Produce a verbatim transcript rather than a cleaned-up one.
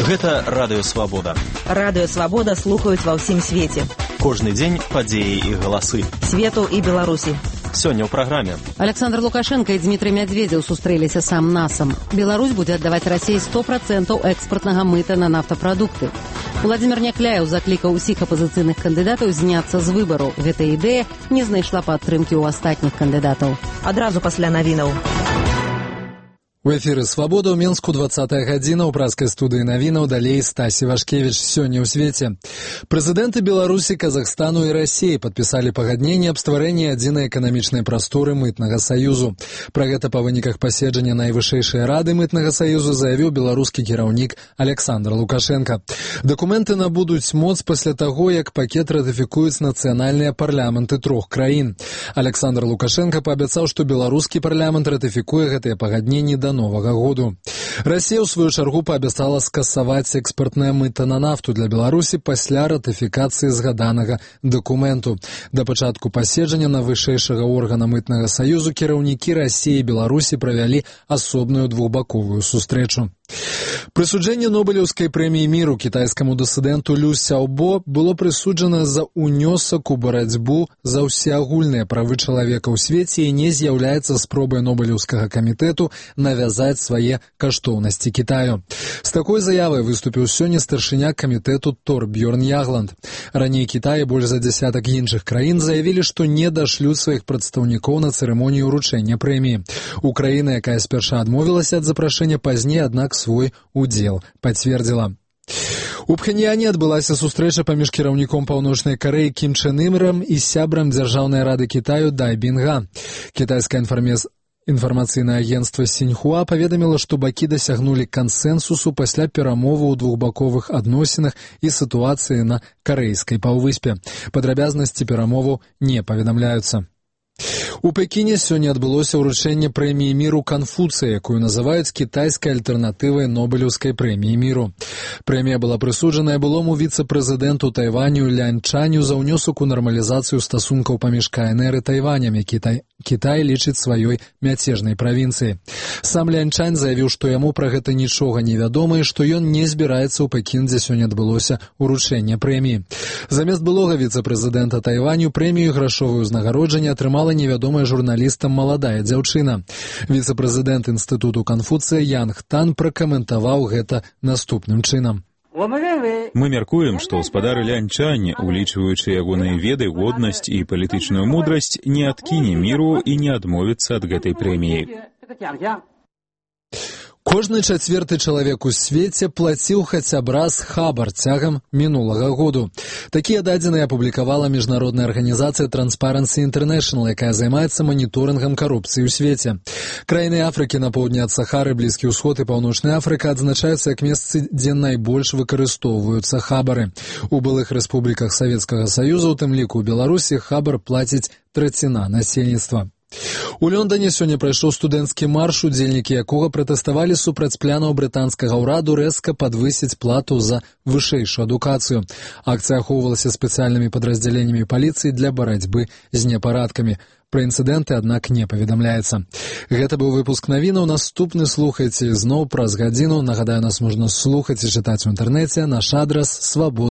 Гэта Радыё Свабода. Радыё Свабода слухаюць ва ўсім свеце. Кожны дзень падзеі і галасы. Свету і Беларусі. Сёння ў праграме. Александр Лукашенко і Дмітрый Медведзеў сустрэліся сам насам. Беларусь будзе аддаваць Расіі сто процентаў экспартнага мыта на нафтапрадукты. Владзімір Някляеў заклікаў усіх апазіцыйных кандыдатаў зняцца з выбару. Гэта ідэя не знайшла падтрымкі ў астатніх кандыдатаў. Адразу пасля навінаў. У эфіры «Свабода» ў Менску двадцатая гадзіна, ў праскай студыі навінаў, далей Стасі Вашкевіч. Сёння ў свеце. Прэзідэнты Беларусі, Казахстану і Расіі падпісалі пагадненне аб стварэнні адзінай эканамічнай прасторы мытнага саюзу. Пра гэта па выніках паседжання найвышэйшай рады мытнага саюзу заявіў беларускі кіраўнік Александр Лукашенко. Дакументы набудуць моц пасля таго, як пакет ратыфікуюць нацыянальныя парламенты трох краін. Александр Лукашенко паабяцаў, што беларускі парламент ратыфікуе гэтыя пагадненні да новага году. Расія, ў сваю чаргу, паабяцала скасаваць экспартнае мыта на нафту для Беларусі пасля ратыфікацыі згаданага дакументу. Да пачатку паседжання найвышэйшага органа мытнага саюзу кіраўнікі Расіі і Беларусі правялі асобную двухбаковую сустрэчу. Прысуджэнне Нобелеўскай прэміі міру кітайскаму дысідэнту Лю Сяобо было прысуджана за унёсак у барацьбу за ўсеагульныя правы чалавека ў свеце і не з'яўляецца спробай Нобелеўскага камітэту навязаць свае каштоўнасці Кітаю. З такой заявай выступіў сёння старшыня камітэту Торбьёрн Ягланд. Раней Кітай і больш за дзясятак іншых краін заявілі, што не дашлюць сваіх прадстаўнікоў на цырымонію ўручэння прэміі. Украіна, якая спярша адмовілася ад запрашэння, пазней, аднак, свой удзел пацвердзіла. У Пхеньяне адбылася сустрэча паміж кіраўніком Паўночнай Карэі Кім Чэн Ырам і сябрам Дзяржаўнай рады Кітаю Дай Бінга. Кітайская інфармез... інфармацыйнае агенцтва Сіньхуа паведаміла, што бакі дасягнулі кансэнсусу пасля перамоваў у двухбаковых адносінах і сітуацыі на карэйскай паўвыспе. Падрабязнасці перамоваў не паведамляюцца. У Пекіне сёння адбылося ўручэнне прэміі міру Канфуцыя, якую называюць кітайскай альтэрнатывай Нобелеўскай прэміі міру. Прэмія была прысуджаная былому віцэ-прэзідэнту Тайваню Лянь Чаню за ўнёсак у нармалізацыю стасункаў паміж КНР і Тайванем, які Тай... Кітай лічыць сваёй мяцежнай правінцыяй. Сам Лянь Чань заявіў, што яму пра гэта нічога не вядома і што ён не збіраецца ў Пекін, дзе сёння адбылося ўручэнне прэміі. Замест былога віцэ-прэзідэнта Тайваню прэмію грашовае ўзнагароджанне атрымала невядомая журналістам маладая дзяўчына. Віцэ-прэзідэнт інстытуту Канфуцыя Янг Тан пракаментаваў гэта наступным чынам. Мы мяркуем, што гаспадар Лянь Чань, улічваючы ягоныя веды, годнасць і палітычную мудрасць, не адкіне міру і не адмовіцца ад гэтай прэміі. Кожны чацвёрты чалавек у свеце плаціў хаця б раз хабар цягам мінулага году. Такія дадзеныя апублікавала міжнародная арганізацыя Transparency International, якая займаецца маніторынгам карупцыі ў свеце. Краіны Афрыкі на поўдні ад Сахары, Блізкі ўсход і Паўночная Афрыка адзначаюцца як месцы, дзе найбольш выкарыстоўваюцца хабары. У былых рэспубліках Савецкага Саюза, у тым ліку ў Беларусі, хабар плаціць траціна насельніцтва. У Лондоне сёння прайшоў студэнцкі марш, удзельнікі якога пратэставалі супраць планаў брытанскага ўраду рэзка падвысіць плату за вышэйшую адукацыю. Акцыя ахоўвалася спецыяльнымі падраздзяленнямі паліцыі для барацьбы з непарадкамі. Пра інцыдэнты, аднак, не паведамляецца. Гэта быў выпуск навінаў. Наступны слухайце зноў праз гадзіну. Нагадаю, нас можна слухаць і чытаць у інтэрнэце. Наш адрас свабода.